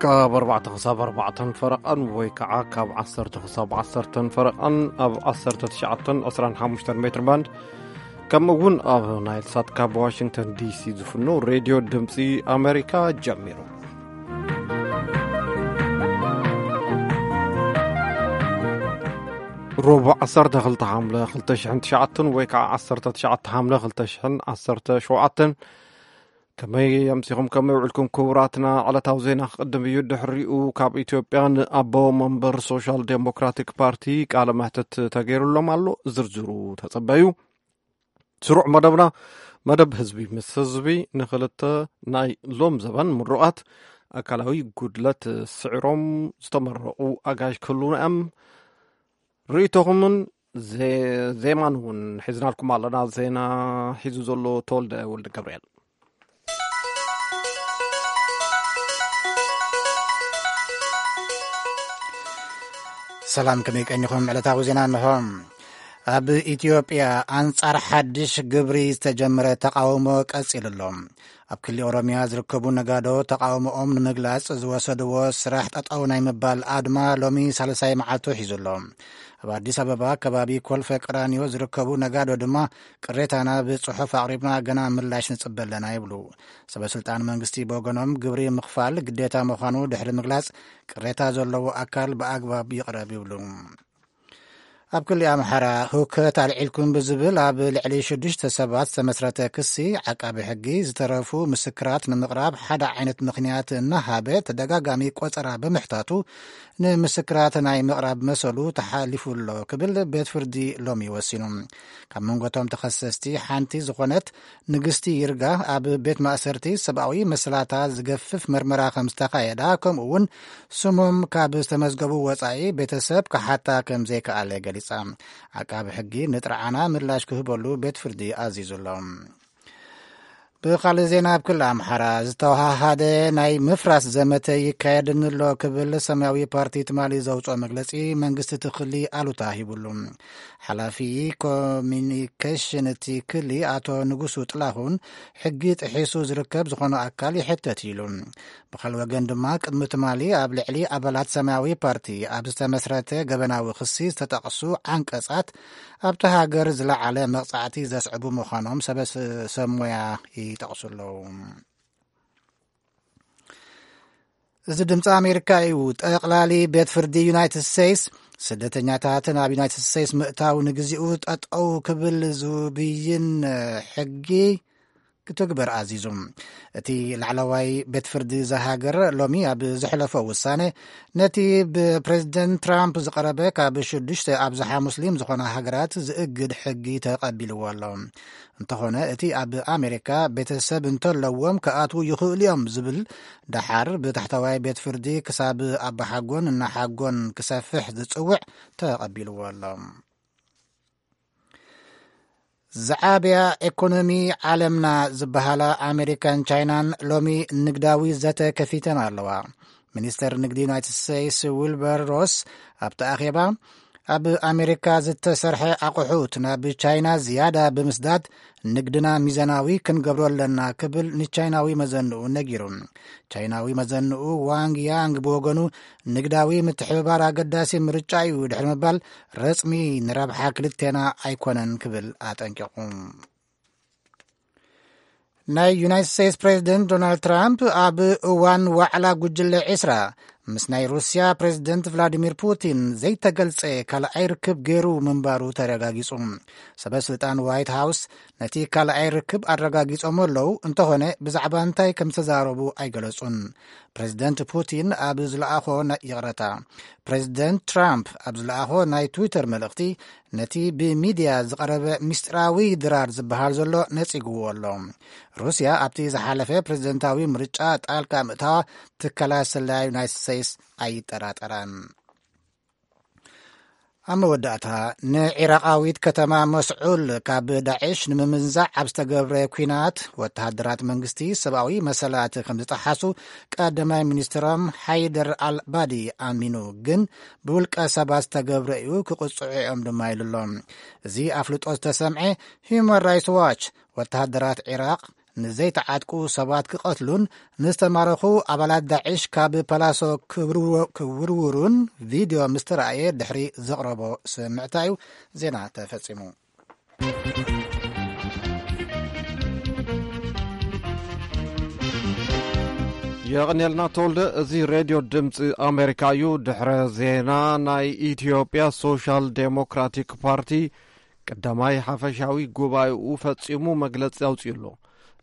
ካብ ኣርባዕተ ክሳብ ኣርባዕተን ፈረቓን ወይ ከዓ ካብ ዓሰርተ ክሳብ ዓሰርተን ፈረቓን ኣብ ዓሰርተ ትሽዓተን ዕስራን ሓሙሽተን ሜትር ባንድ፣ ከምኡ እውን ኣብ ናይል ሳት ካብ ዋሽንግተን ዲሲ ዝፍኖ ሬድዮ ድምፂ ኣሜሪካ ጀሚሩ። ሮቡዕ ዓሰርተ ክልተ ሓምለ ክልተ ሽሕን ትሽዓተን ወይ ከዓ ዓሰርተ ትሽዓተ ሓምለ ክልተ ሽሕን ዓሰርተ ሸውዓተን። ከመይ ኣምሲኹም፣ ከመይ ውዕልኩም ክቡራትና? ዕለታዊ ዜና ክቕድም እዩ። ድሕሪኡ ካብ ኢትዮጵያ ንኣቦ መንበር ሶሻል ዴሞክራቲክ ፓርቲ ቃለ መሕትት ተገይሩሎም ኣሎ። ዝርዝሩ ተጸበዩ። ስሩዕ መደብና፣ መደብ ህዝቢ ምስ ህዝቢ፣ ንክልተ ናይ ሎም ዘበን ምሩቓት ኣካላዊ ጉድለት ስዒሮም ዝተመረቑ ኣጋይሽ ክህልዉና እዮም። ርእይቶኹምን ዜ-፣ ዜማን እውን ሒዝናልኩም ኣለና። ዜና ሒዙ ዘሎ ተወልደ ወልደ ገብርኤል። ሰላም፣ ከመይ ቀኒኹም? ዕለታዊ ዜና እንሆ። ኣብ ኢትዮጵያ ኣንጻር ሓድሽ ግብሪ ዝተጀመረ ተቃውሞ ቀጺሉ ኣሎ። ኣብ ክሊ ኦሮሚያ ዝርከቡ ነጋዶ ተቃውሞኦም ንምግላጽ ዝወሰድዎ ስራሕ ጠጠው ናይ ምባል ኣድማ ሎሚ ሳልሳይ መዓልቱ ሒዙ ኣሎ። ኣብ ኣዲስ ኣበባ ከባቢ ኮልፈ ቀራኒዮ ዝርከቡ ነጋዶ ድማ ቅሬታና ብጽሑፍ ኣቕሪብና፣ ገና ምላሽ ንጽበ ኣለና ይብሉ። ሰበ ስልጣን መንግስቲ ብወገኖም ግብሪ ምኽፋል ግዴታ ምዃኑ ድሕሪ ምግላጽ፣ ቅሬታ ዘለዎ ኣካል ብኣግባብ ይቕረብ ይብሉ። ኣብ ክሊ ኣምሓራ ህውከት ኣልዒልኩም ብዝብል ኣብ ልዕሊ ሽዱሽተ ሰባት ዝተመስረተ ክሲ፣ ዓቃቢ ሕጊ ዝተረፉ ምስክራት ንምቕራብ ሓደ ዓይነት ምኽንያት እናሃበ ተደጋጋሚ ቆጸራ ብምሕታቱ፣ ንምስክራት ናይ ምቕራብ መሰሉ ተሓሊፉ ኣሎ ክብል ቤት ፍርዲ ሎሚ ወሲኑ። ካብ መንጎቶም ተኸሰስቲ ሓንቲ ዝኾነት ንግስቲ ይርጋ ኣብ ቤት ማእሰርቲ ሰብኣዊ መሰላታ ዝገፍፍ መርመራ ከም ዝተኻየዳ፣ ከምኡ እውን ስሞም ካብ ዝተመዝገቡ ወጻኢ ቤተሰብ ክሓታ ከም ዘይከኣለ ገሊጻ። ዓቃቢ ሕጊ ንጥርዓና ምላሽ ክህበሉ ቤት ፍርዲ ኣዚዙ ኣሎ። ብኻልእ ዜና፣ ኣብ ክልል ኣምሓራ ዝተወሃሃደ ናይ ምፍራስ ዘመተ ይካየድኒ ኣሎ ክብል ሰማያዊ ፓርቲ ትማሊ ዘውፅኦ መግለፂ፣ መንግስቲ እቲ ክሊ ኣሉታ ሂቡሉ። ሓላፊ ኮሚኒኬሽን እቲ ክሊ ኣቶ ንጉሱ ጥላሁን፣ ሕጊ ጥሒሱ ዝርከብ ዝኾነ ኣካል ይሕተት ኢሉ። ብኻልእ ወገን ድማ፣ ቅድሚ ትማሊ ኣብ ልዕሊ ኣባላት ሰማያዊ ፓርቲ ኣብ ዝተመስረተ ገበናዊ ክሲ ዝተጠቕሱ ዓንቀጻት ኣብቲ ሃገር ዝለዓለ መቕጻዕቲ ዘስዕቡ ምዃኖም ሰበ-፣ ሰብ ሞያ ይጠቕሱ ኣለዉ። እዚ ድምፂ ኣሜሪካ እዩ። ጠቕላሊ ቤት ፍርዲ ዩናይትድ ስቴትስ፣ ስደተኛታት ናብ ዩናይትድ ስቴትስ ምእታው ንግዚኡ ጠጠው ክብል ዝብይን ሕጊ ክትግበር ኣዚዙ። እቲ ላዕለዋይ ቤት ፍርዲ እዛ ሃገር ሎሚ ኣብ ዘሕለፎ ውሳነ፣ ነቲ ብፕሬዝደንት ትራምፕ ዝቐረበ ካብ ሽዱሽተ ኣብዝሓ ሙስሊም ዝኾና ሃገራት ዝእግድ ሕጊ ተቐቢልዎ ኣሎ። እንተኾነ፣ እቲ ኣብ ኣሜሪካ ቤተሰብ እንተለዎም ክኣትዉ ይኽእሉ እዮም ዝብል፣ ደሓር ብታሕተዋይ ቤት ፍርዲ ክሳብ ኣባሓጎን እናሓጎን ክሰፍሕ ዝጽውዕ ተቐቢልዎ ኣሎ። ዝዓበያ ኤኮኖሚ ዓለምና ዝበሃላ ኣሜሪካን ቻይናን ሎሚ ንግዳዊ ዘተ ከፊተን ኣለዋ። ሚኒስተር ንግዲ ዩናይትድ ስቴትስ ዊልበር ሮስ ኣብቲ ኣኼባ፣ ኣብ ኣሜሪካ ዝተሰርሐ ኣቑሑት ናብ ቻይና ዝያዳ ብምስዳድ ንግድና ሚዛናዊ ክንገብሮ ኣለና ክብል ንቻይናዊ መዘንኡ ነጊሩ። ቻይናዊ መዘንኡ ዋንግ ያንግ ብወገኑ፣ ንግዳዊ ምትሕብባር ኣገዳሲ ምርጫ እዩ ድሕሪ ምባል፣ ረጽሚ ንረብሓ ክልቴና ኣይኮነን ክብል ኣጠንቂቑ። ናይ ዩናይትድ ስቴትስ ፕሬዚደንት ዶናልድ ትራምፕ ኣብ እዋን ዋዕላ ጉጅለ ዒስራ ምስ ናይ ሩስያ ፕሬዚደንት ቭላዲሚር ፑቲን ዘይተገልጸ ካልኣይ ርክብ ገይሩ ምንባሩ ተረጋጊጹ። ሰበ ስልጣን ዋይት ሃውስ ነቲ ካልኣይ ርክብ ኣረጋጊጾም ኣለዉ፣ እንተኾነ ብዛዕባ እንታይ ከም ዝተዛረቡ ኣይገለጹን። ፕሬዚደንት ፑቲን ኣብ ዝለኣኾ ናይ፣ ይቕረታ፣ ፕሬዚደንት ትራምፕ ኣብ ዝለኣኾ ናይ ትዊተር መልእኽቲ፣ ነቲ ብሚድያ ዝቐረበ ምስጢራዊ ድራር ዝበሃል ዘሎ ነጺግዎ ኣሎ። ሩስያ ኣብቲ ዝሓለፈ ፕሬዚደንታዊ ምርጫ ጣልቃ ምእታዋ ትካላት ስለያ ዩናይትድ ስቴትስ ኣይጠራጠራን። ኣብ መወዳእታ፣ ንዒራቓዊት ከተማ መስዑል ካብ ዳዕሽ ንምምንዛዕ ኣብ ዝተገብረ ኲናት፣ ወተሃደራት መንግስቲ ሰብኣዊ መሰላት ከም ዝጠሓሱ ቀዳማይ ሚኒስትሮም ሓይደር ኣልባዲ ኣሚኑ፣ ግን ብውልቀ ሰባት ዝተገብረ እዩ፣ ክቕጽዑ እዮም ድማ ኢሉ ኣሎ። እዚ ኣፍልጦ ዝተሰምዐ፣ ሂዩማን ራይትስ ዋች፣ ወተሃደራት ዒራቕ ንዘይተዓጥቁ ሰባት ክቐትሉን ንዝተማረኹ ኣባላት ዳዕሽ ካብ ፓላሶ ክብርዎ-፣ ክውርውሩን ቪድዮ ምስ ተራእየ ድሕሪ ዘቕረቦ ስምዕታ እዩ ዜና ተፈጺሙ። የቐንየልና ተወልደ። እዚ ሬድዮ ድምፂ ኣሜሪካ እዩ። ድሕረ ዜና፣ ናይ ኢትዮጵያ ሶሻል ዴሞክራቲክ ፓርቲ ቀዳማይ ሓፈሻዊ ጉባኤኡ ፈጺሙ መግለጺ ኣውጺኡ ኣሎ።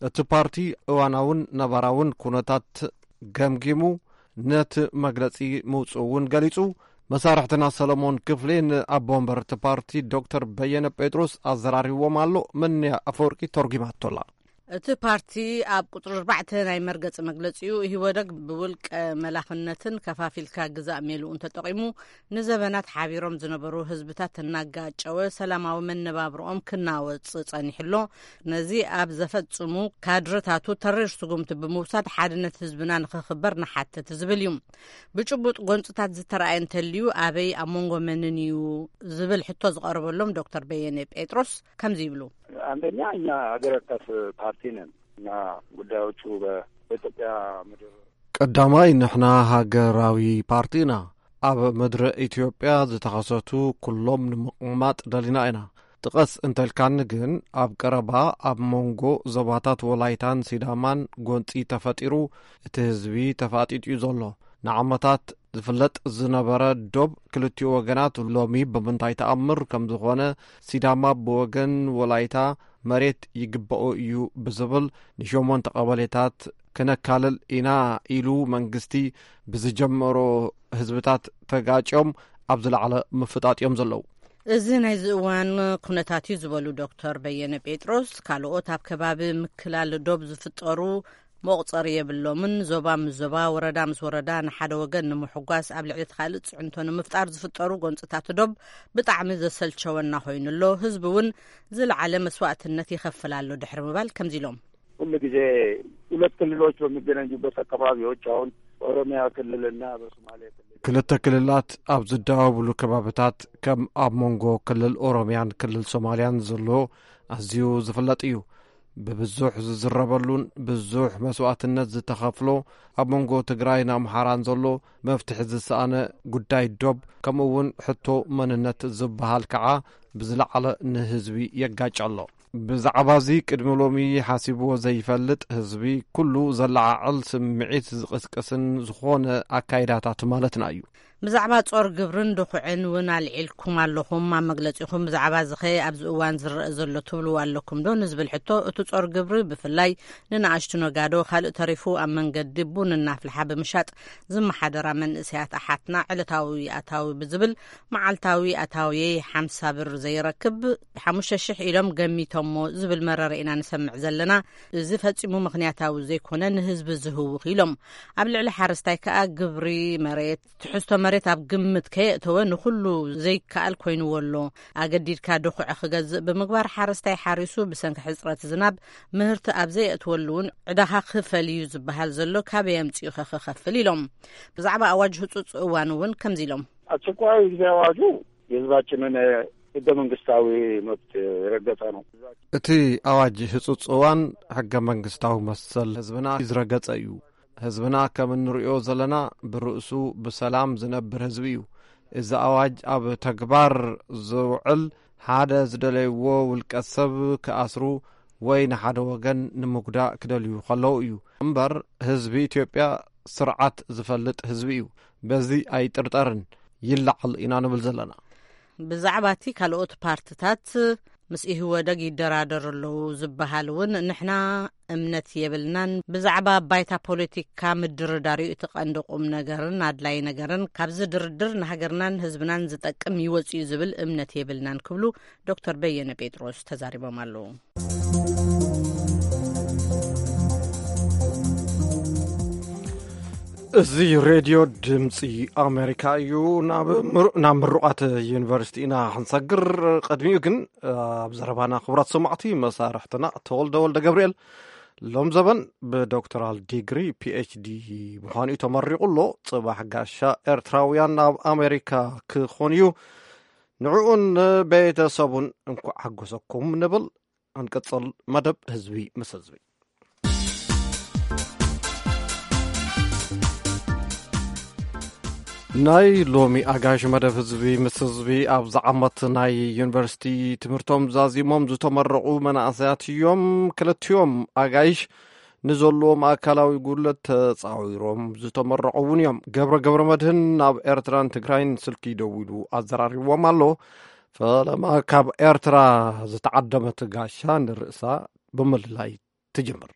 እቲ ፓርቲ እዋናውን ነባራውን ኩነታት ገምጊሙ ነቲ መግለጺ ምውጽኡ እውን ገሊጹ። መሳርሕትና ሰለሞን ክፍሌ ንኣቦ ወንበር እቲ ፓርቲ ዶክተር በየነ ጴጥሮስ ኣዘራሪብዎም ኣሎ። መንያ ኣፈወርቂ ተርጒማቶላ። እቲ ፓርቲ ኣብ ቁጽሪ ኣርባዕተ ናይ መርገጺ መግለጺኡ፣ ኢህወደግ ብውልቀ መላኽነትን ከፋፊልካ ግዛእ ሜልኡን ተጠቒሙ ንዘበናት ሓቢሮም ዝነበሩ ህዝብታት እናጋጨወ ሰላማዊ መነባብርኦም ክናወጽ ጸኒሑ ኣሎ። ነዚ ኣብ ዘፈጽሙ ካድረታቱ ተሪር ስጉምቲ ብምውሳድ ሓድነት ህዝብና ንኽኽበር ንሓትት ዝብል እዩ። ብጭቡጥ ጎንጽታት ዝተረኣየ እንተልዩ ኣበይ ኣብ መንጎ መንን እዩ ዝብል ሕቶ ዝቐረበሎም ዶክተር በየነ ጴጥሮስ ከምዚ ይብሉ። አንደኛ እኛ ሀገር አቀፍ ፓርቲ ነን እና ጉዳዮቹ በኢትዮጵያ ምድር ቀዳማይ ንሕና ሃገራዊ ፓርቲ ኢና። ኣብ ምድሪ ኢትዮጵያ ዝተኸሰቱ ኩሎም ንምቕማጥ ደሊና ኢና። ጥቀስ እንተልካኒ ግን ኣብ ቀረባ ኣብ መንጎ ዞባታት ወላይታን ሲዳማን ጎንጺ ተፈጢሩ እቲ ህዝቢ ተፋጢጡ እዩ ዘሎ። ንዓመታት ዝፍለጥ ዝነበረ ዶብ ክልቲኡ ወገናት ሎሚ ብምንታይ ተኣምር ከም ዝኾነ፣ ሲዳማ ብወገን ወላይታ መሬት ይግበኦ እዩ ብዝብል ንሸሞንተ ቀበሌታት ክነካልል ኢና ኢሉ መንግስቲ ብዝጀመሮ ህዝብታት ተጋጭዮም ኣብ ዝለዓለ ምፍጣጥ እዮም ዘለዉ። እዚ ናይዚ እዋን ኩነታት እዩ ዝበሉ ዶክተር በየነ ጴጥሮስ፣ ካልኦት ኣብ ከባቢ ምክላል ዶብ ዝፍጠሩ መቑጸሪ የብሎምን። ዞባ ምስ ዞባ፣ ወረዳ ምስ ወረዳ ንሓደ ወገን ንምሕጓስ ኣብ ልዕሊ እቲ ካልእ ጽዕንቶ ንምፍጣር ዝፍጠሩ ጎንጽታት ዶብ ብጣዕሚ ዘሰልቸወና ኮይኑ ኣሎ። ህዝቢ እውን ዝለዓለ መስዋእትነት ይኸፍል ኣሎ ድሕሪ ምባል ከምዚ ኢሎም። ሁል ጊዜ ሁለት ክልሎች በሚገናኙበት አካባቢዎች አሁን ኦሮሚያ ክልልና በሶማሌ ክልል ክልተ ክልላት ኣብ ዝደዋወሉ ከባብታት ከም ኣብ መንጎ ክልል ኦሮሚያን ክልል ሶማሊያን ዘሎ ኣዝዩ ዝፍለጥ እዩ። ብብዙሕ ዝዝረበሉን ብዙሕ መስዋእትነት ዝተኸፍሎ ኣብ መንጎ ትግራይን ኣምሓራን ዘሎ መፍትሒ ዝሰኣነ ጉዳይ ዶብ ከምኡ እውን ሕቶ መንነት ዝበሃል ከዓ ብዝለዓለ ንህዝቢ የጋጭ ኣሎ። ብዛዕባ እዚ ቅድሚ ሎሚ ሓሲብዎ ዘይፈልጥ ህዝቢ ኩሉ ዘለዓዕል ስምዒት ዝቕስቅስን ዝኾነ ኣካይዳታት ማለትና እዩ። ብዛዕባ ጾር ግብርን ድኹዕን እውን ኣልዒልኩም ኣለኹም ኣብ መግለጺኹም። ብዛዕባ እዚ ኸ ኣብዚ እዋን ዝረአ ዘሎ ትብልዎ ኣለኩም ዶ ንዝብል ሕቶ፣ እቲ ጾር ግብሪ ብፍላይ ንንኣሽቱ ነጋዶ፣ ካልእ ተሪፉ ኣብ መንገዲ ቡን እናፍልሓ ብምሻጥ ዝመሓደራ መንእሰያት ኣሓትና ዕለታዊ ኣታዊ ብዝብል መዓልታዊ ኣታውየይ ሓምሳ ብር ዘይረክብ ሓሙሽተ ሽሕ ኢሎም ገሚቶሞ ዝብል መረረ ኢና ንሰምዕ ዘለና። እዚ ፈጺሙ ምኽንያታዊ ዘይኮነ ንህዝቢ ዝህውኽ ኢሎም። ኣብ ልዕሊ ሓረስታይ ከኣ ግብሪ መሬት፣ ትሕዝቶ መሬት ኣብ ግምት ከየእተወ ንኹሉ ዘይከኣል ኮይንዎ ኣሎ። ኣገዲድካ ድኹዒ ክገዝእ ብምግባር ሓረስታይ ሓሪሱ ብሰንኪ ሕጽረት ዝናብ ምህርቲ ኣብ ዘየእትወሉ እውን ዕዳኻ ክፈል እዩ ዝበሃል ዘሎ ካበይ ኣምጺኡ ከ ክኸፍል ኢሎም። ብዛዕባ ኣዋጅ ህጹጽ እዋን እውን ከምዚ ኢሎም። አስቸኳይ ጊዜ አዋጁ የህዝባችንን ህገ መንግስታዊ መብት የረገጠ ነው። እቲ ኣዋጅ ህጹጽ እዋን ሕገ መንግስታዊ መሰል ህዝብና ዝረገጸ እዩ። ህዝብና ከም እንርእዮ ዘለና ብርእሱ ብሰላም ዝነብር ህዝቢ እዩ። እዚ ኣዋጅ ኣብ ተግባር ዝውዕል ሓደ ዝደለይዎ ውልቀ ሰብ ክኣስሩ ወይ ንሓደ ወገን ንምጉዳእ ክደልዩ ከለዉ እዩ። እምበር ህዝቢ ኢትዮጵያ ስርዓት ዝፈልጥ ህዝቢ እዩ። በዚ ኣይጥርጠርን። ይለዓል ኢና ንብል ዘለና። ብዛዕባ እቲ ካልኦት ፓርትታት ምስ ኢህወደግ ይደራደሩ ኣለዉ ዝበሃል እውን ንሕና እምነት የብልናን። ብዛዕባ ባይታ ፖለቲካ ምድርዳር እዩ እቲ ቀንዲ ቁም ነገርን ኣድላይ ነገርን። ካብዚ ድርድር ንሃገርናን ህዝብናን ዝጠቅም ይወጽእ እዩ ዝብል እምነት የብልናን ክብሉ ዶክተር በየነ ጴጥሮስ ተዛሪቦም ኣለዉ። እዚ ሬድዮ ድምፂ ኣሜሪካ እዩ። ናብ ምሩ-፣ ናብ ምሩቓት ዩኒቨርሲቲ ኢና ክንሰግር። ቅድሚኡ ግን ኣብ ዘረባና ክቡራት ሰማዕቲ መሳርሕትና ተወልደ ወልደ ገብርኤል ሎም ዘበን ብዶክተራል ዲግሪ ፒ ኤች ዲ ምዃኑ እዩ ተመሪቑ ኣሎ። ጽባሕ ጋሻ ኤርትራውያን ኣብ ኣሜሪካ ክኾን እዩ። ንዕኡን ቤተሰቡን እንኳዕ ሓጎሰኩም ንብል። እንቅጽል መደብ ህዝቢ ምስ ህዝቢ። ናይ ሎሚ ኣጋይሽ መደብ ህዝቢ ምስ ህዝቢ፣ ኣብዚ ዓመት ናይ ዩኒቨርሲቲ ትምህርቶም ዛዚሞም ዝተመረቑ መናእሰያት እዮም። ክልቲኦም ኣጋይሽ ንዘለዎም ኣካላዊ ጉድለት ተጻዊሮም ዝተመረቑ እውን እዮም። ገብረ ገብረ መድህን ናብ ኤርትራን ትግራይን ስልኪ ደዊሉ ኣዘራሪብዎም ኣሎ። ፈለማ ካብ ኤርትራ ዝተዓደመት ጋሻ ንርእሳ ብምልላይ ትጅምር።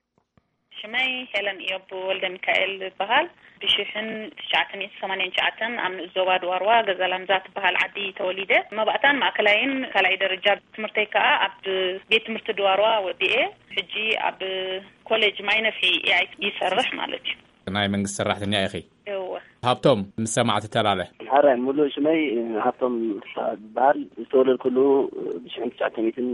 ሽመይ ሄለን ኢዮብ ወልደ ሚካኤል ይበሃል። ብሽሕን ትሽዓተ ሚእቲ ሰማንያን ትሽዓተን ኣብ ንኡስ ዞባ ድዋርዋ ገዛ ላምዛ ትበሃል ዓዲ ተወሊደ። መባእታን ማእከላይን ካልኣይ ደረጃ ትምህርተይ ከኣ ኣብ ቤት ትምህርቲ ድዋርዋ ወዲኤ። ሕጂ ኣብ ኮሌጅ ማይ ነፍሒ ኤኣይ ይሰርሕ ማለት እዩ። ናይ መንግስቲ ሰራሕተኛ ኢኺ? እወ። ሃብቶም፣ ምስ ሰማዕቲ ተላለ። ሓራይ፣ ሙሉእ ሽመይ ሃብቶም ይበሃል። ዝተወለድኩሉ ብሽሕን ትሽዓተ ሚእትን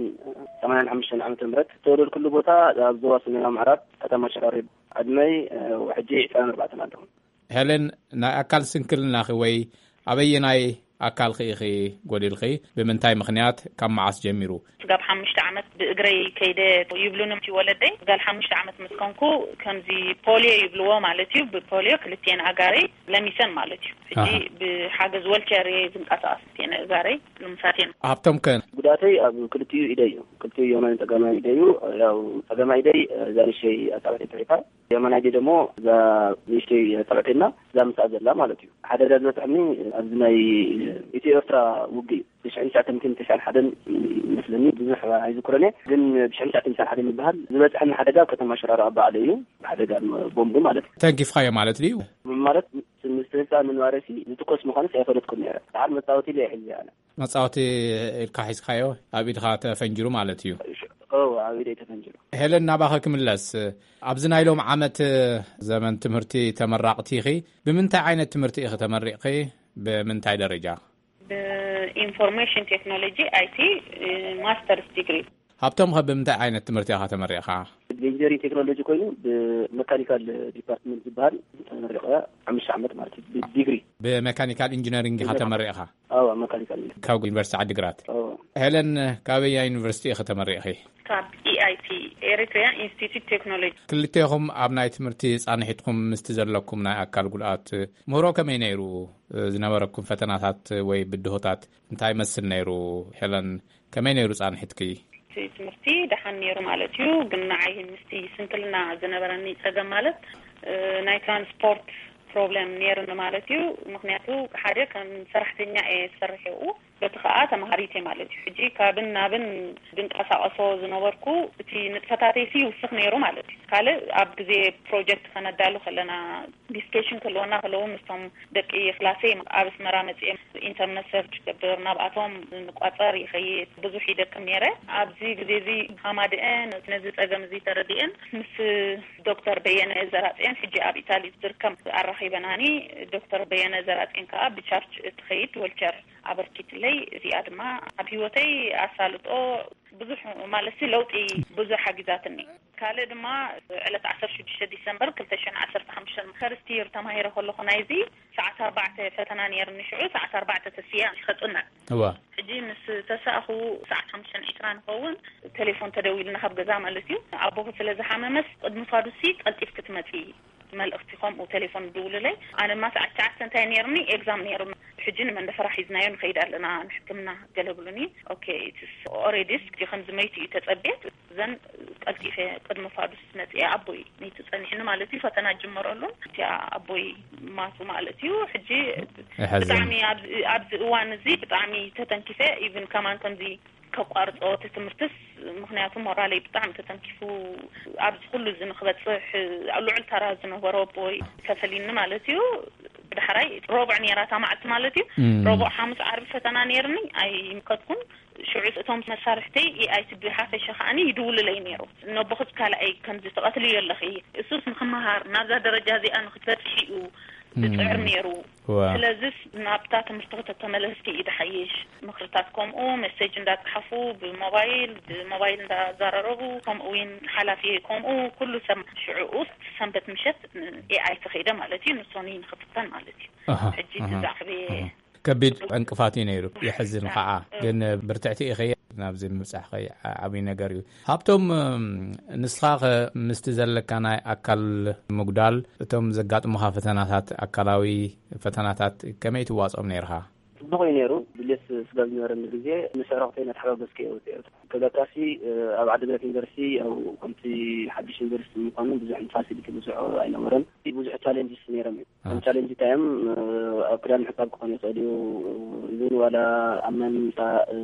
ሰማንያን ሓሙሽተን ዓመተ ምህረት ዝተወለድኩሉ ቦታ ኣብ ዞባ ሰሜናዊ ምዕራብ ከተማ ሸራሮ። ዕድመይ፣ እ፣ ሕጂ ዕስራን ኣርባዕተን ኣለኹ። ሄለን፣ ናይ ኣካል ስንክልናኺ ወይ ኣበየናይ ኣካልኺ ኢኺ ጎዲልኺ? ብምንታይ ምኽንያት? ካብ መዓስ ጀሚሩ? ስጋብ ሓሙሽተ ዓመት ብእግረይ ከይደ ይብሉኒ እቲ ወለደይ። ጓል ሓሙሽተ ዓመት ምስ ኮንኩ ከምዚ ፖልዮ ይብልዎ ማለት እዩ። ብፖልዮ ክልቲኤን ኣጋረይ ለሚሰን ማለት እዩ። ሕጂ ኣሃ። ብሓገዝ ወልቸር እየ ዝንቀሳቐስ። ክልቲኤን ኣጋረይ ልሙሳት እየን። ሃብቶም ከ? ጉዳተይ ኣብ ክልቲኡ ኢደይ እዩ። ክልቲኡ የማናይ ጸጋማይ ኢደይ እዩ። ያው ጸጋማይ ኢደይ እዛ ንእሽተይ ኣጻብዕተይ ተሪፋ፣ የማናይ ኢደይ ደግሞ እዛ ንእሽተይ ኣጻብዕተይና እዛ ምስኣ ዘላ ማለት እዩ። ሓደጋ ዝበጽሐኒ ኣብዚ ናይ ኢትዮ ኤርትራ ውግእ እዩ። ብሽሕን ትሽዓተ ሚእትን ተስዓን ሓደን ይመስለኒ፣ ብዙሕ ኣይዝክሮን እየ፣ ግን ብሽሕን ትሽዓተ ሚእትን ሓደን ይበሃል። ዝበጽሐኒ ሓደጋ ኣብ ከተማ ሽራሮ ኣብ ባዕለይ እዩ፣ ሓደጋ ቦምብ ማለት እዩ። ተንኪፍካዮ ማለት ድዩ? ማለት ምስቲ ህንጻ ምንባረሲ ዝትኮስ ምዃንስ ኣይፈለጥኩን ነይረ። ደሓር መጻወቲ ኢለ እየ ሒዘ ኣነ። መጻወቲ ኢልካ ሒዝካዮ፣ ኣብ ኢድኻ ተፈንጅሩ ማለት እዩ። እዎ፣ ኣብ ኢደይ ተፈንጅሩ። ሄለን፣ ናባኺ ክምለስ። ኣብዚ ናይ ሎም ዓመት ዘመን ትምህርቲ ተመራቕቲ ኢኺ። ብምንታይ ዓይነት ትምህርቲ ኢኺ ተመሪቕኺ? ብምንታይ ደረጃ? ብኢንፎርሜሽን ቴክኖሎጂ፣ ኣይ ቲ፣ ማስተርስ ዲግሪ። ሃብቶም፣ ኸ ብምንታይ ዓይነት ትምህርቲ ኢኻ ተመሪቕኻ? ብኢንጂነሪንግ ቴክኖሎጂ ኮይኑ፣ ብመካኒካል ዲፓርትመንት ዝበሃል ተመሪቐ፣ ሓሙሽተ ዓመት ማለት እዩ፣ ብዲግሪ። ብመካኒካል ኢንጂነሪንግ ኢኻ ብመካ- ተመሪቕኻ? ኣዎ፣ መካኒካል። ካብ ዩኒቨርሲቲ ዓዲግራት። ኣዎ። ሄለን፣ ካበያ ዩኒቨርሲቲ ኢኺ ተመሪቕኺ? ካብ ኢ ኣይ ቲ፣ ኤሪትሪያ ኢንስቲትዩት ቴክኖሎጂ። ክልቴኹም ኣብ ናይ ትምህርቲ ጻንሒትኩም ምስቲ ዘለኩም ናይ ኣካል ጉድኣት ምህሮ ከመይ ነይሩ? ዝነበረኩም ፈተናታት ወይ ብድሆታት እንታይ መስል ነይሩ? ሄለን፣ ከመይ ነይሩ ጻንሒትኪ? እቲ ትምህርቲ ደሓን ነይሩ ማለት እዩ፣ ግን ንዓይ ምስቲ ስንክልና ዝነበረኒ ጸገም ማለት፣ እ፣ ናይ ትራንስፖርት ፕሮብለም ነይሩኒ ማለት እዩ። ምኽንያቱ ሓደ ከም ሰራሕተኛ እየ ዝሰርሕ ይኡ፣ በቲ ኸኣ ተማሃሪት እየ ማለት እዩ። ሕጂ ካብን ናብን ዝንቀሳቐሶ ዝነበርኩ እቲ ንጥፈታተይሲ ይውስኽ ነይሩ ማለት እዩ። ካልእ ኣብ ግዜ ፕሮጀክት ከነዳሉ ከለና ዲስከሽን ክህልወና ከለዉ ምስቶም ደቂ ክላሰይ ኣብ ኣስመራ መጺኤ ኢንተርነት ሰርች ገብር፣ ናብኣቶም ንቋጸር ይኸይድ፣ ብዙሕ ይደክም ነይረ። ኣብዚ ግዜ እዚ ሃማድአን ነዚ ጸገም እዚ ተረዲአን ምስ ዶክተር በየነ ዘራጽኤን ሕጂ ኣብ ኢታሊ ዝርከብ ኣራኺበናኒ። ዶክተር በየነ ዘራጽኤን ከኣ ብቻርች እትኸይድ ወልቸር ኣበርኪትለይ። እዚኣ ድማ ኣብ ህይወተይ ኣሳልጦ ብዙሕ ማለትሲ ለውጢ ብዙሕ ሓጊዛትኒ። ካልእ ድማ ዕለት ዓሰርተ ሽዱሽተ ዲሰምበር ክልተ ሽሕን ዓሰርተ ሓሙሽተን ፈርስት ይር ተማሂረ ከለኹ ናይዚ ሰዓት ኣርባዕተ ፈተና ነይርኒ። ሽዑ ሰዓት ኣርባዕተ ተስያ ከጽንዕ። እዋ። ሕጂ ምስ ተሳእኹ ሰዓት ሓሙሽተን ዕስራን ንኸውን ቴሌፎን ተደዊልና ካብ ገዛ ማለት እዩ። ኣቦኹ ስለ ዝሓመመስ ቅድሚ ፋዱሲ ቀልጢፍ ክትመጺ መልእኽቲ ከምኡ ቴሌፎን ድውልለይ። ኣነ ድማ ሰዓት ትሽዓተ እንታይ ነይርኒ? ኤግዛም ነይሩ። ሕጂ ንመንደፈራ ሒዝናዮ ንኸይድ ኣለና ንሕክምና ገለ ብሉኒ። ኦኬ፣ ኢትስ ኦሬዲ ከምዚ መይቱ እዩ ተጸብየ። እዘን ቀልጢፈ ቅድሚ ፋዱስ መጽኤ ኣቦይ መይቱ ጸኒሕኒ ማለት እዩ። ፈተና ጅመረሉን እቲኣ ኣቦይ ማቱ ማለት እዩ። ሕጂ የሕዝን። ብጣዕሚ ኣብዚ፣ ኣብዚ እዋን እዚ ብጣዕሚ ተተንኪፈ። ኢቭን ከማን ከምዚ ከቋርጾ እቲ ትምህርትስ፣ ምኽንያቱ ሞራለይ ብጣዕሚ ተተንኪፉ፣ ኣብዚ ኩሉ እዚ ንክበጽሕ ኣብ ልዑል ተራ ዝነበሮ ኣቦይ ከፈሊኒ ማለት እዩ። ዳሕራይ ረቡዕ ነይራ እታ መዓልቲ ማለት እዩ። እም። ረቡዕ፣ ሓሙስ፣ ዓርቢ ፈተና ነይርኒ፣ ኣይምከድኩን። ሽዑ እቶም መሳርሕተይ ኤኣይቲ ብሓፈሻ ከዓኒ ይድውልለይ ነይሩ። ነቦኽስ ካልኣይ ከምዚ ትቐትልዮ ኣለኺ፣ እሱስ ንክመሃር ናብዛ ደረጃ እዚኣ ንክትበጽሕ እዩ ዝጽዕር እም። ነይሩ። ዋ። ስለዚስ ናብታ ትምህርቲ ከተተመለስኪ እዩ ዝሓይሽ። ምኽርታት ከምኡ፣ መሴጅ እንዳጸሓፉ፣ ብሞባይል፣ ብሞባይል እንዳዘራረቡ፣ ከምኡ እውን ሓላፊ ከምኡ፣ ኩሉ ሰብ ሽዑኡ ሰንበት ምሸት ኤኣይ ተኸይደ ማለት እዩ፣ ንሶኒ ንኽፍተን ማለት እዩ። ኣሃ፣ ሕጂ ኣሃ፣ ትዛዕቤ ኣሃ። ከቢድ ዕንቅፋት እዩ ነይሩ። የሕዝን ከዓ። እ። ግን ብርትዕቲ ኢኺ። ናብዚ ምብጻሕኸይ ዓ-፣ ዓብዪ ነገር እዩ። ሃብቶም፣ እም፣ ንስኻ ኸ ምስቲ ዘለካ ናይ ኣካል ምጉዳል፣ እቶም ዘጋጥሙኻ ፈተናታት፣ ኣካላዊ ፈተናታት ከመይ ትዋጽኦም ነይርኻ? ጽቡቕ እዩ ነይሩ። ድሌት ስጋ ዝነበረኒ ግዜ ምስ ኣዕሩኽተይ እናተሓጋገዝኩ እየ ወጺኤ። ከብለካሲ፣ እ፣ ኣብ ዓዲግራት ዩኒቨርሲቲ፣ ያው ከምቲ ሓድሽ ዩኒቨርሲቲ ምዃኑ ብዙሕ ፋሲሊቲ ብዙሕ ኣይነበረን። ብዙሕ ቻሌንጅስ ነይሮም እዮም። እ። ከም ቻሌንጅ እንታይ እዮም? እ፣ ኣብ ክዳን ምሕጻብ ክኾን ይኽእል እዩ። ኢቭን ዋላ ኣብ መምጻ፣ እ፣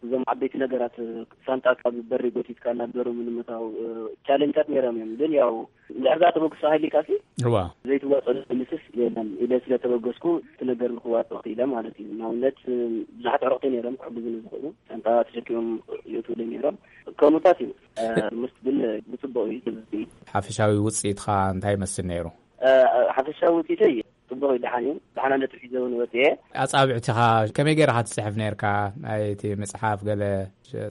እዞም ዓበይቲ ነገራት፣ እ፣ ሳንጣ ካብ በሪ ጎቲትካ ናብ ዶርም ንምእታው፣ እ፣ ቻሌንጃት ነይሮም እዮም። ግን ያው እንድሕር ደኣ ተበግሶ ሃሊካሲ እዋ። ዘይትዋጸሉ ምስስ የለን ኢለ ስለ ተበገስኩ፣ እቲ ነገር ንክዋጽኦ ክኢለ ማለት እዩ። ንኣብነት፣ እ፣ ብዙሓት ኣዕሩኽተይ ነይሮም ክሕግዙኒ ዝኽእሉ፣ ሳንጣ ተሸኪሞም ይእትውለይ ነይሮም። ከምኡታት እዩ። እ፣ ምስ ግን ብጽቡቕ እዩ ዝብል። ሓፈሻዊ ውጽኢትኻ እንታይ ይመስል ነይሩ? እ፣ ሓፈሻዊ ውጽኢተይ ጽቡቕ እዩ፣ ደሓን እዩ። ደሓና ነጥቢ ሒዘ እውን ወጽኤ። ኣጻብዕትኻ ከመይ ገይርኻ ትጽሕፍ ነይርካ? ናይ እቲ ምጽሓፍ ገለ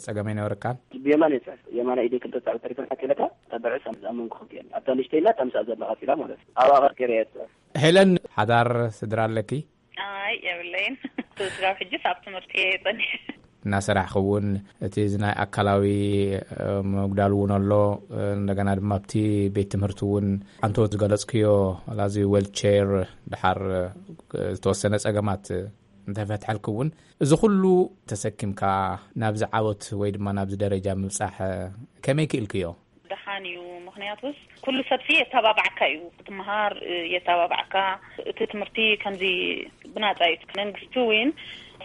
ጸገም ኣይነበረካን? ብየማን እየ ጽሕፍ። የማናይ ኢደይ ክልተ ጻዕብ ተሪፈን ሓቂለካ፣ እታ ብዕስ ኣብ መንጎ ክልቲኤን። ኣብታ ንእሽተይና እታ ምስኣ ዘላ ቀጺላ ማለት እዩ። ኣብኣ ቀርቂረ እየ ጽሕፍ። ሄለን፣ ሓዳር ስድራ ኣለኪ? ኣይ፣ የብለይን። ስጋብ ሕጅስ ኣብ ትምህርቲ እየ ጸኒሐ። እናሰራሕኺ እውን እቲ እዚ ናይ ኣካላዊ፣ እ፣ ምጉዳል እውን ኣሎ። እ፣ እንደገና ድማ ኣብቲ ቤት ትምህርቲ እውን ኣንቶ ዝገለጽክዮ፣ ዋላ እዚ ዌልቸር፣ ድሓር፣ እ፣ ዝተወሰነ ጸገማት እንተፈትሐልኪ እውን፣ እዚ ኩሉ ተሰኪምካ ናብዚ ዓወት ወይ ድማ ናብዚ ደረጃ ምብጻሕ፣ እ፣ ከመይ ክኢልክዮ? ደሓን እዩ። ምኽንያቱስ ኩሉ ሰብሲ የተባባዕካ እዩ። ክትመሃር፣ እ፣ የተባባዕካ። እቲ ትምህርቲ ከምዚ ብናጻ እዩ። መንግስቲ እውን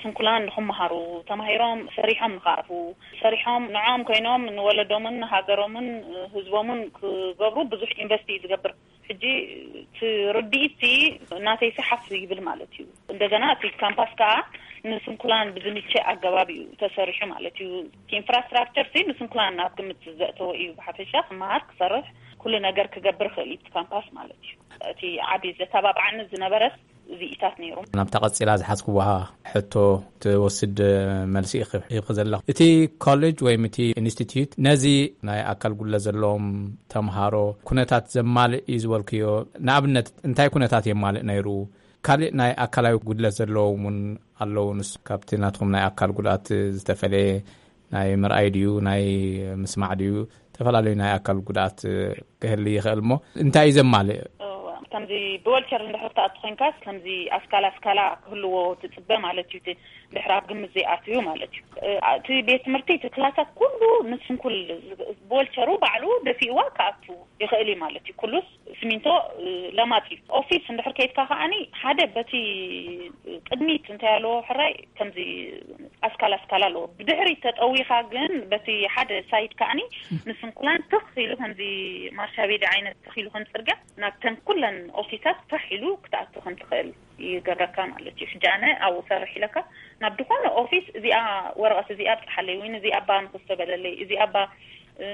ስንኩላን ንኽመሃሩ፣ ተማሂሮም ሰሪሖም ንኽኣትዉ፣ ሰሪሖም ንዖም ኮይኖም ንወለዶምን ንሃገሮምን፣ እ፣ ህዝቦምን ክገብሩ ብዙሕ ኢንቨስት እዩ ዝገብር። ሕጂ እቲ ርድኢት እቲ ናተይ ሰሓፍ ይብል ማለት እዩ። እንደገና እቲ ካምፓስ ከዓ ንስንኩላን ብዝምቸ ኣገባብ እዩ ተሰሪሑ ማለት እዩ። እቲ ኢንፍራስትራክቸር ሲ ንስንኩላን ናብ ግምት ዘእተወ እዩ። ብሓፈሻ ክመሃር፣ ክሰርሕ፣ ኩሉ ነገር ክገብር ይኽእል እዩ እቲ ካምፓስ ማለት እዩ። እቲ ዓቢ ዘተባብዓኒ ዝነበረስ እዚኢታት ነይሩ። ናብታ ቀጺላ ዝሓዝክዋ ሕቶ ትወስድ መልሲ ኢኺ ሂብኪ ዘለኹ። እቲ ኮሌጅ ወይም እቲ ኢንስቲትዩት ነዚ ናይ ኣካል ጉድለት ዘለዎም ተምሃሮ ኩነታት ዘማልእ እዩ ዝበልክዮ፣ ንኣብነት እንታይ ኩነታት የማልእ ነይሩ? ካልእ ናይ ኣካላዊ ጉድለት ዘለዎም እውን ኣለዉ። ንስ ካብቲ ናትኩም ናይ ኣካል ጉድኣት ዝተፈለየ ናይ ምርኣይ ድዩ፣ ናይ ምስማዕ ድዩ፣ ዝተፈላለዩ ናይ ኣካል ጉድኣት ክህሊ ይኽእል እሞ እንታይ እዩ ዘማልእ? እዋ፣ ከምዚ ብወልቸር እንድሕር ትኣቱ ኮይንካስ፣ ከምዚ ኣስካላ ኣስካላ ክህልዎ ትጽበ ማለት እዩ። እቲ እንድሕር ኣብ ግምት ዘይኣትዩ ማለት እዩ። እ፣ እቲ ቤት ትምህርቲ፣ እቲ ክላሳት ኩሉ ንስንኩል ብወልቸሩ ባዕሉ ደፊእዋ ክኣቱ ይኽእል እዩ ማለት እዩ። ኩሉስ ስሚንቶ፣ እ፣ ለማጽ እዩ። ኦፊስ እንድሕር ከይድካ ከኣኒ ሓደ በቲ ቅድሚት እንታይ ኣለዎ ሕራይ ከምዚ ኣስካላ ኣስካላ ኣለዎ። ብድሕሪት ተጠዊኻ ግን በቲ ሓደ ሳይድ ከኣኒ ንስንኩላን ትኽ ኢሉ ከምዚ ማርሻ ቤዲ ዓይነት ትኽ ኢሉ ከም ጽርግያ ናብተን ኩለን ኦፊሳት ፋሕ ኢሉ ክትኣቱ ከም ትኽእል ይገብረካ ማለት እዩ። ሕጂ ኣነ ኣብኡ ሰርሕ ኢለካ ናብ ዝኾነ ኦፊስ እዚኣ ወረቐት እዚኣ ኣብጽሓለይ ወይ እዚኣ እባ ንኽስተበለለይ እዚኣ እባ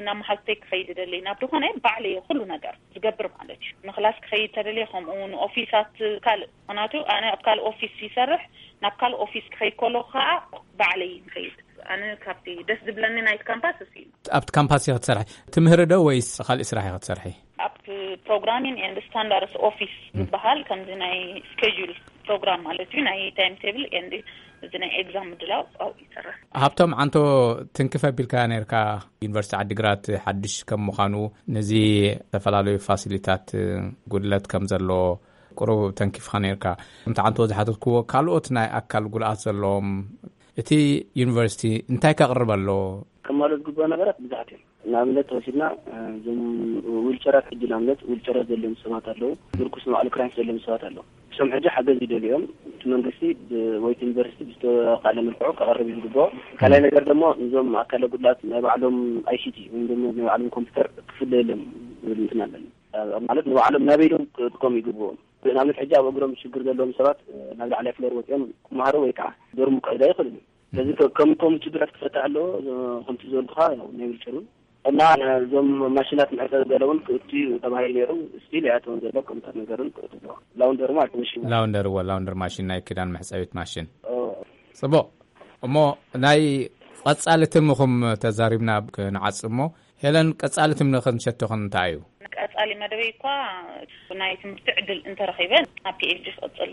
ናብ መሓዙተይ ክኸይድ ደለይ ናብ ዝኾነ ባዕለይ ኩሉ ነገር ዝገብር ማለት እዩ። ንክላስ ክኸይድ ተደልየ ከምኡ ንኦፊሳት ካልእ፣ ምኽንያቱ ኣነ ኣብ ካልእ ኦፊስ ይሰርሕ፣ ናብ ካልእ ኦፊስ ክኸይድ ከለኹ ከዓ ባዕለይ ይኸይድ። ኣነ ካብቲ ደስ ዝብለኒ ናይቲ ካምፓስ እሱ እዩ። ኣብቲ ካምፓስ ኢኺ ትሰርሒ? ትምህሪ ዶ ወይስ ካልእ ስራሕ ኢኺ ትሰርሒ? ኣብ ፕሮግራሚንግ ኤንድ ስታንዳርድስ ኦፊስ ዝበሃል ከምዚ ናይ ስኬጁል ፕሮግራም ማለት እዩ፣ ናይ ታይም ቴብል ኤንድ እዚ ናይ ኤግዛም ምድላው ኣብኡ ይሰርሕ። ሃብቶም ዓንቶ፣ ትንክፍ ኣቢልካ ነርካ። ዩኒቨርሲቲ ዓዲግራት ሓድሽ ከም ምዃኑ ነዚ ዝተፈላለዩ ፋሲሊታት ጉድለት ከም ዘሎ ቁሩብ ተንኪፍካ ነርካ። ከምቲ ዓንቶ ዝሓተትክዎ ካልኦት ናይ ኣካል ጉድኣት ዘለዎም እቲ ዩኒቨርሲቲ እንታይ ከቕርብ ኣለዎ? ከማልኡ ዝግብኦ ነገራት ብዙሓት እዮም። ንኣብነት ተወሲድና፣ እ፣ እዞም ዊልቸራት ሕጂ ንኣብነት ዊልቸራት ዘለዎም ሰባት ኣለዉ። ምርኩስ ንባዕሉ ክራንች ዘለዎም ሰባት ኣለዉ። እሶም ሕጂ ሓገዝ ይደልዩ እዮም። እቲ መንግስቲ ብ-፣ ወይ እቲ ዩኒቨርሲቲ ብዝተኻእለ መልክዑ ከቕርብ እዩ ዝግብኦ። ካልኣይ ነገር ደሞ እዞም ኣካለ ጉድላት ናይ ባዕሎም ኣይ ሲ ቲ ወይ ደሞ ናይ ባዕሎም ኮምፒውተር ክፍለየሎም ዝብል እንትን ኣለኒ። እ፣ ማለት ንባዕሎም ናበይ ኢሎም ክጥቀሙ ይግብኦም። ንኣብነት ሕጂ ኣብ እግሮም ሽግር ዘለዎም ሰባት፣ እ፣ ናብ ላዕላይ ፍሎር ወፂኦም ክመሃሩ ወይ ከዓ ዶርም ክዕዳ ይኽእሉ እዮም። ስለዚ ከ-፣ ከም፣ ከም ችግራት ክፈትሕ ኣለዎ። ከምቲ ዝበልኩኻ፣ ያው፣ ናይ ዊልቸር እውን እና ነዞም ማሽናት መሕፀቢ ገለ እውን ክእቱ እዩ ተባሂሉ ነይሩ። ስቲል ይኣተውን ዘሎ ከምታት ነገር እውን ክእቱ ኣለዎ። ላውንደሪ ማለት መሽን። ላውንደሪ፣ እወ፣ ላውንደሪ ማሽን፣ ናይ ክዳን መሕፀቢት ማሽን። ኦ። ፅቡቕ። እሞ ናይ ቀፃሊ ትልምኹም ተዛሪብና ክንዓጽ እሞ፣ ሄለን፣ ቀፃሊ ትልሚ ክንሸቶ እንታይ እዩ? ቀፃሊ መደበይ እኳ ናይ ትምህርቲ ዕድል እንተረኺበ ናብ ፒ ኤች ዲ ክቕፅል።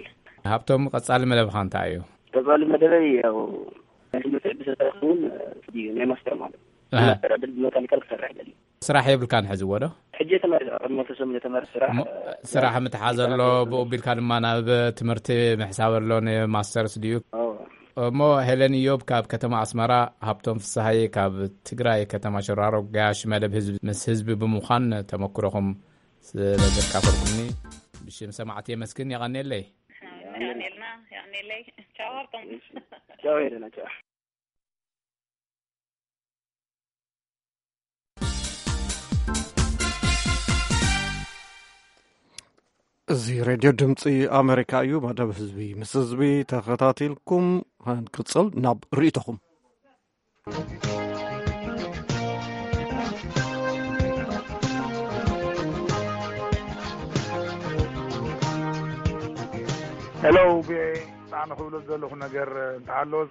ሃብቶም፣ ቀፃሊ መደብኻ እንታይ እዩ? ቀፃሊ መደበይ ያው ናይ ትምህርቲ ዕድል ተረኽቡ እውን፣ እ፣ እዩ ናይ ማስተር ማለት እዩ። ኣሃ። ማስተር ዕድል ብመካኒካል ክሰርሕ ይደሊ። ስራሕ የብልካን ሕዚ ወዶ? ሕጂ ተመሪቐ፣ ቅድሚ ክልተ ሰሙን ተመሪቐ ስራሕ፣ እሞ እ፣ ስራሕ ምትሓዘ ኣሎ፣ ብኡ ቢልካ ድማ ናብ ትምህርቲ ምሕሳብ ኣሎ፣ ንማስተርስ ድዩ? ኣዎ። እሞ ሄለን ኢዮብ ካብ ከተማ ኣስመራ፣ ሃብቶም ፍስሃየ ካብ ትግራይ ከተማ ሽራሮ፣ ጋሽ መደብ ህዝቢ ምስ ህዝቢ ብምዃን ተመክሮኹም ስለ ዘካፈልኩምኒ ብሽም ሰማዕቲ የመስግን። የቐንየለይ። የቐንየልና፣ የቐንየለይ። ቻው ሃብቶም። ቻው ሄለና፣ ቻው። እዚ ሬድዮ ድምፂ ኣሜሪካ እዩ። መደብ ህዝቢ ምስ ህዝቢ ተኸታቲልኩም፣ ክንቅፅል ናብ ርእይቶኹም። ሄሎ፣ ቪኦኤ፣ ኣነ ክብሎ ዘለኹ ነገር እንተሃለወ፣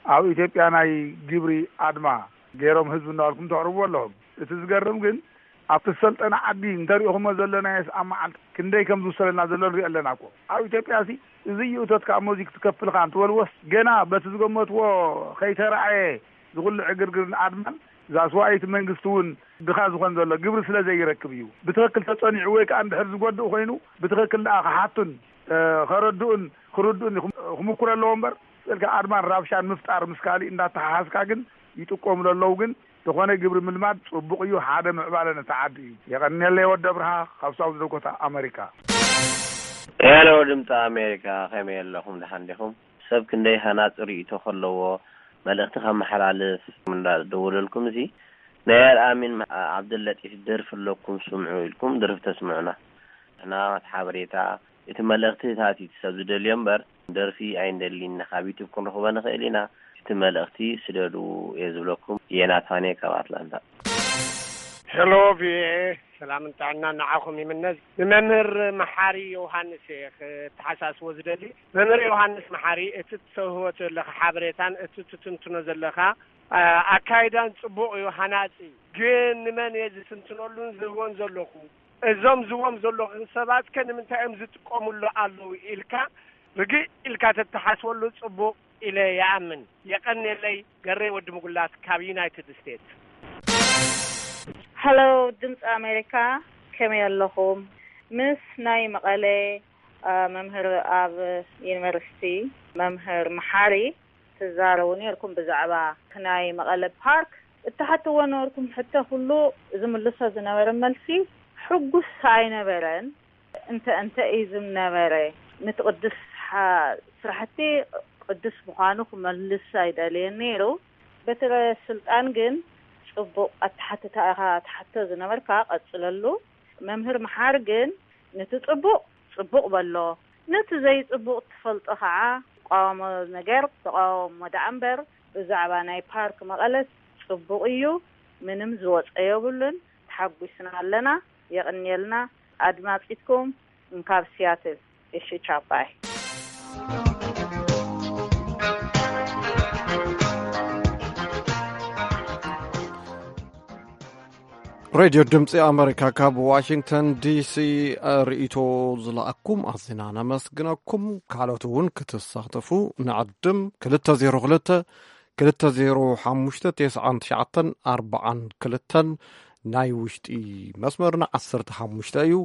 ኣብ ኢትዮጵያ ናይ ግብሪ ኣድማ ገይሮም ህዝቢ እናበልኩም ተቕርብዎ ኣለኹም። እቲ ዝገርም ግን፣ ኣብቲ ዝሰልጠነ ዓዲ እንተሪእኹሞ ዘለናዮስ ኣብ መዓልቲ ክንደይ ከም ዝውሰደልና ዘሎ ንሪኦ ኣለና እኮ። ኣብ ኢትዮጵያ ሲ እዚ እዩ እቶትካ እሞ እዚ ክትከፍልካ እንትበልዎስ፣ ገና በቲ ዝገመትዎ ከይተረኣየ ዝኹሉ ዕግርግርን ኣድማን፣ እዛ ስዋኢት መንግስቲ እውን ድኻ ዝኾን ዘሎ ግብሪ ስለ ዘይረክብ እዩ። ብትኽክል ተጸኒዑ ወይ ከኣ እንድሕር ዝጎድእ ኮይኑ፣ ብትኽክል ደኣ ክሓቱን፣ እ፣ ከረድኡን ክርድኡን ክም-፣ ክምኩር ኣለዎ እምበር፣ ስእልካ ኣድማን ራብሻን ምፍጣር ምስ ካሊእ እንዳተሓሓዝካ ግን ይጥቀሙሉ ኣለዉ። ግን ዝኾነ ግብሪ ምልማድ ጽቡቕ እዩ፣ ሓደ ምዕባለ ነቲ ዓዲ እዩ። የቐንየለይ ወዲ ኣብርሃ ካብ ሳውዝ ዳኮታ ኣመሪካ። ሄሎ ድምፂ ኣሜሪካ፣ ከመይ ኣለኹም? ደሓን ዲኹም? ሰብ ክንደይ ሃናፂ ርእይቶ ከለዎ መልእኽቲ ከመሓላልፍ እንዳደወለልኩም፣ እዚ ናይ ኣልኣሚን ዓብደለጢፍ ደርፊ ኣለኩም ስምዑ ኢልኩም ደርፊ ተስምዑና። ንሕና እቲ ሓበሬታ፣ እቲ መልእኽትታት እዩ እቲ ሰብ ዝደልዮ እምበር፣ ደርፊ ኣይንደልን ኢና። ካብ ዩቱብ ክንረኽቦ ንኽእል ኢና። እቲ መልእኽቲ ስደዱ እየ ዝብለኩም። ዮናታን እየ ካብ ኣትላንታ። ሄሎ ቪኦኤ፣ ሰላምን ጥዕናን ንዓኹም ይምነ። ንመምህር መሓሪ ዮሃንስ እየ ክተሓሳስቦ ዝደሊ። መምህር ዮሃንስ መሓሪ፣ እቲ ትሰህቦ ዘለኻ ሓበሬታን እቲ ትትንትኖ ዘለኻ፣ አ፣ ኣካይዳን ጽቡቕ እዩ፣ ሃናጺ እዩ። ግን ንመን እየ ዝትንትነሉን ዝህቦን ዘለኹ? እዞም ዝዎም ዘለኹ ሰባት ከ ንምንታይ እዮም ዝጥቀሙሉ ኣለዉ ኢልካ ርግእ ኢልካ ተተሓስበሉ ጽቡቕ ኢለ ይኣምን። የቐንየለይ፣ ገሬ ወዲ ምጉላት ካብ ዩናይትድ ስቴትስ። ሃሎ፣ ድምፂ ኣሜሪካ፣ ከመይ ኣለኹም? ምስ ናይ መቐለ፣ አ፣ መምህር ኣብ ዩኒቨርሲቲ መምህር መሓሪ ትዛረቡ ነርኩም ብዛዕባ ናይ መቐለ ፓርክ። እትሓትዎ ነበርኩም ሕቶ ኩሉ ዝምልሶ ዝነበረ መልሲ ሕጉስ ኣይነበረን። እንተ፣ እንተ እዩ ዝነበረ፣ ነቲ ቅዱስ ሓ-፣ ስራሕቲ ቅዱስ ምዃኑ ክመልስ ኣይደልየን ነይሩ። በትረ ስልጣን ግን ጽቡቕ ኣተሓትታ ኢኻ ትሓቶ ዝነበርካ፣ ቀጽለሉ። መምህር መሓር ግን ነቲ ጽቡቕ ጽቡቕ በሎ፣ ነቲ ዘይጽቡቕ ትፈልጦ ኸዓ ትቃወሞ ነገር ተቃወሞ ደኣ እምበር፣ ብዛዕባ ናይ ፓርክ መቐለስ ጽቡቕ እዩ፣ ምንም ዝወጸ የብሉን። ተሓጒስና ኣለና። የቕንየልና። ኣድማጺትኩም እንካብ ሲያትል። እሺ፣ ቻው፣ ባይ። ሬድዮ ድምፂ ኣመሪካ ካብ ዋሽንግተን ዲሲ ርእይቶ ዝለኣኩም ኣዝና ነመስግነኩም። ካልኦት እውን ክትሳተፉ ንዕድም። ክልተ ዜሮ ክልተ፣ ክልተ ዜሮ ሓሙሽተ፣ ተስዓን ትሽዓተን ኣርባዓን ክልተን ናይ ውሽጢ መስመርና ዓሰርተ ሓሙሽተ እዩ።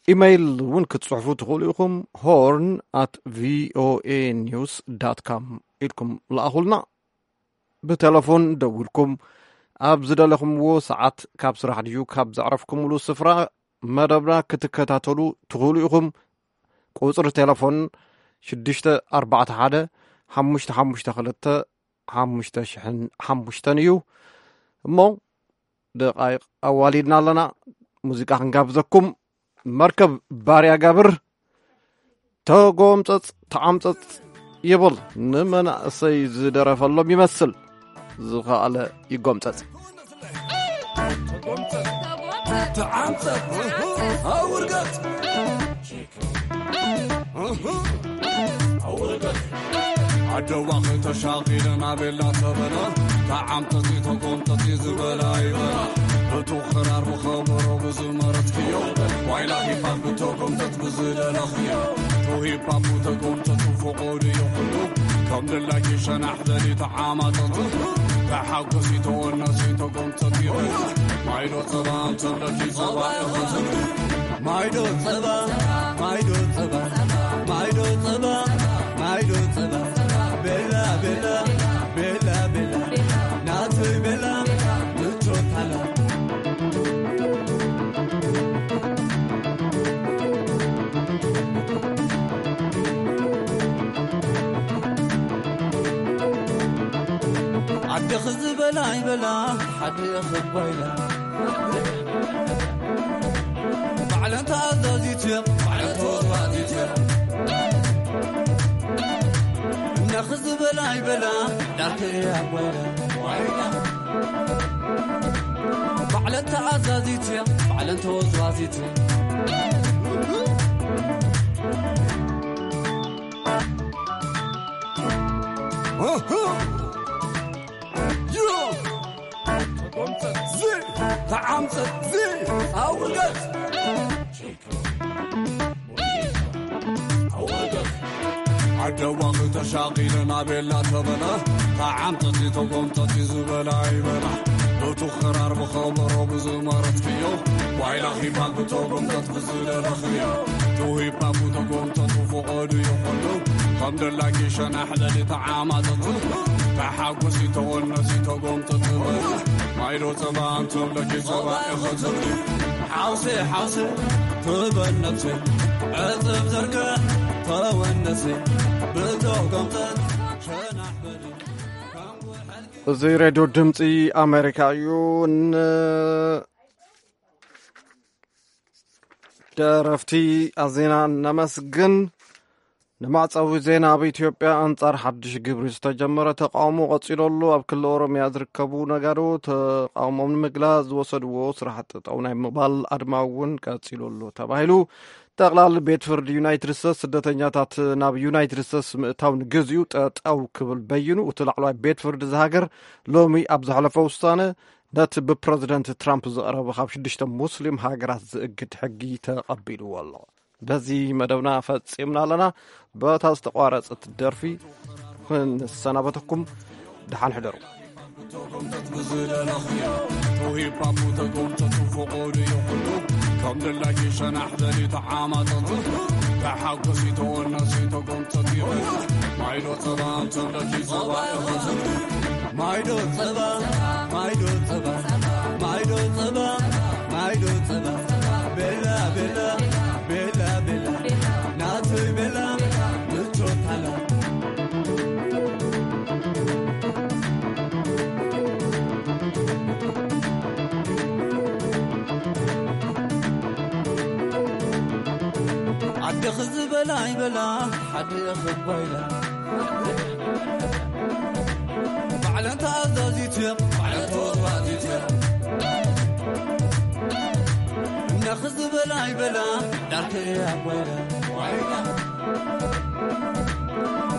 ኢመይል እውን ክትጽሕፉ ትኽእሉ ኢኹም። ሆርን ኣት ቪኦኤ ኒውስ ዳት ካም ኢልኩም ለኣኹልና። ብቴሌፎን ደዊልኩም ኣብ ዝደለኹምዎ ሰዓት ካብ ስራሕ ድዩ ካብ ዘዕረፍኩምሉ ስፍራ መደብና ክትከታተሉ ትኽእሉ ኢኹም። ቁጽሪ ቴሌፎን ሽዱሽተ ኣርባዕተ ሓደ ሓሙሽተ ሓሙሽተ ክልተ ሓሙሽተ ሽሕን ሓሙሽተን እዩ። እሞ ደቓይቕ ኣዋሊድና ኣለና። ሙዚቃ ክንጋብዘኩም። መርከብ ባርያ ጋብር፣ ተጎምጸጽ ተዓምጸጽ ይብል። ንመናእሰይ ዝደረፈሎም ይመስል። ዝኸኣለ ይጎምጸጽ። ተዓምጸጽ፣ ኣውርገጽ። ኣደዋኺ ተሻቒለ ናበላ ተበላ፣ ተዓምጠጺ ተጎምጠጺ ዝበላ ይበላ። እቱ ክራር ብኸበሮ ብዝመረጽክዮ፣ ዋይላ ሂፓፕ ብተጎምጠጥ ብዝደለኽዮ። ቱ ሂፓፕ ተጎምጠጡ ፍቑድ እዩ ኩሉ፣ ከ ከም ደላኪ ሸናሕ በሊ ተዓማጠጡ፣ ተሓጎሲ ተወነሲ ተጎምተት ይበል። ማይዶ ጸባ እንተለኪ ጸባ ይኸዝን። ማይዶ ጸባ፣ ማይዶ ጸባ፣ ማይዶ ጸባ፣ ማይዶ ጸባ። ቤላ፣ ቤላ፣ ቤላ፣ ቤላ፣ ናተይ ቤላ፣ ምቾት ሃላ። ኣደኺ ዝበላ ይበላ፣ ሓደኺ ጓይላ። ባዕለን ተኣዛዚት እየ፣ ባዕለን ተወዛዚት እየ። እነኺ ዝበላ ይበላ፣ ዳርኪ እያ ጓይላ። ባዕለን ተኣዛዚት እየ፣ ባዕለን ተወዛዚት እየ። ዚ ተዓምፀት ዚ ኣውርደት ኣደዋኺ ተሻቒለ ናቤላ ተበለ። ተዓምፀቲ ተጎምፀቲ ዝበላ ይበላ። እቱ ኽራር ብኸበሮ ብዝመረትክዮ፣ ዋይላ ሂፓፕ ተጎምፀት ብዝደለኽዮ። ቱ ሂፓፕ ተጎምፀቱ ፍቐዱ ይኹሉ፣ ከም ደላኪ ሸናሕ በሊ ተዓማፀቱ። ተሓጎሲ ተወነሲ ተጎምፀቲ በሊ። ማይዶ ጸባ እንተብለኪ ጸባ ኢኸ ትብሊ። ሓውሲ ሓውሲ ትበል ነብሲ፣ ዕጽብ ዘርግሕ ተወነሲ፣ ብተጎምፀት ሸናሕ በሊ። እዚ ሬድዮ ድምፂ ኣሜሪካ እዩ። ንደረፍቲ ኣዜና ነመስግን። ንመዕጸዊ ዜና፣ ኣብ ኢትዮጵያ ኣንጻር ሓድሽ ግብሪ ዝተጀመረ ተቃውሞ ቀጺሉ ኣሎ። ኣብ ክልል ኦሮምያ ዝርከቡ ነጋዶ ተቃውሞም ንምግላጽ ዝወሰድዎ ስራሕ ጠጠው ናይ ምባል ኣድማ እውን ቀጺሉ ኣሎ ተባሂሉ። ጠቕላሊ ቤት ፍርዲ ዩናይትድ ስቴትስ ስደተኛታት ናብ ዩናይትድ ስቴትስ ምእታው ንግዚኡ ጠጠው ክብል በይኑ። እቲ ላዕለዋይ ቤት ፍርዲ እዚ ሃገር ሎሚ ኣብ ዘሕለፎ ውሳነ ነቲ ብፕረዚደንት ትራምፕ ዝቐረበ ካብ ሽዱሽተ ሙስሊም ሃገራት ዝእግድ ሕጊ ተቐቢልዎ ኣሎ። በዚ መደብና ፈጺምና ኣለና። በታ ዝተቋረጸት ደርፊ ክንሰናበተኩም፣ ደሓን ሕደሩ። ተጎምተት ብዝደለኽዮ፣ ቱ ሂፓፕ ተጎምተቱ ፍቑድ እዩ ኩሉ። ከም ደላኪ ሸናሕ በሊ ተዓማጠቱ፣ ተሓጎሲ ተወነሲ ተጎምተት ይበል። ማይዶ ጸባ እንተብለኪ ጸባ ይኸዝን። ማይዶ ጸባ፣ ማይዶ ጸባ፣ ማይዶ ጸባ፣ ማይዶ ጸባ። ቤላ፣ ቤላ፣ ቤላ፣ ቤላ፣ ናተይ ቤላ፣ ምቾት ሃላ። ኣደኺ ዝበላ ይበላ፣ ሓደኺ ጓይላ። ባዕለን ተኣዛዚት እየን፣ ባዕለን ተወዝዋዚት እየን። እነኺ ዝበላ ይበላ፣ ዳርኪ እያ ጓይላ።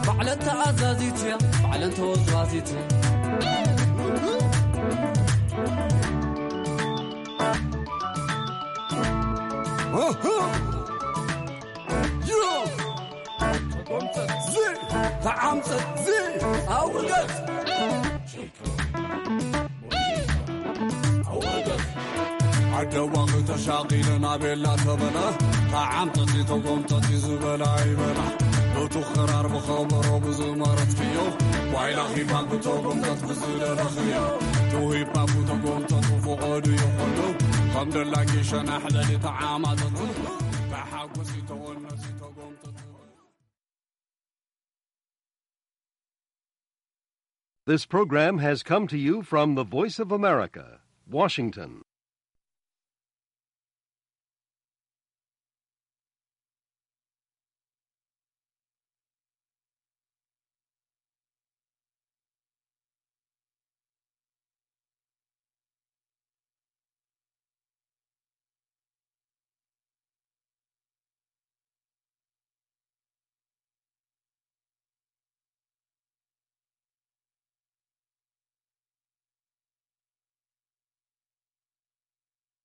ባዕለን ተኣዛዚት እየን፣ ባዕለን ተወዝዋዚት እየን። ተዓምፀት ዚ ኣውርደት። ኣደዋኺ ተሻቒለ ናቤላ ተበላ። ተዓምፀቲ ተጎምፀቲ ዝበላ ይበላ። በቱ ኽራር ብኸበሮ ብዝመረትክዮ። ዋይላ ሂፓፕ ተጎምፀት ብዝደለኽዮ። ቱ ሂፓፕ ተጎምፀቱ ፍቐዱ ይኹሉ። ከም ደላኪ ሸናሕ በሊ ተዓማፀቱ። ተሓጎሲ ተወነሲ ተጎምፀቱ። This program has come to you from the Voice of America, Washington.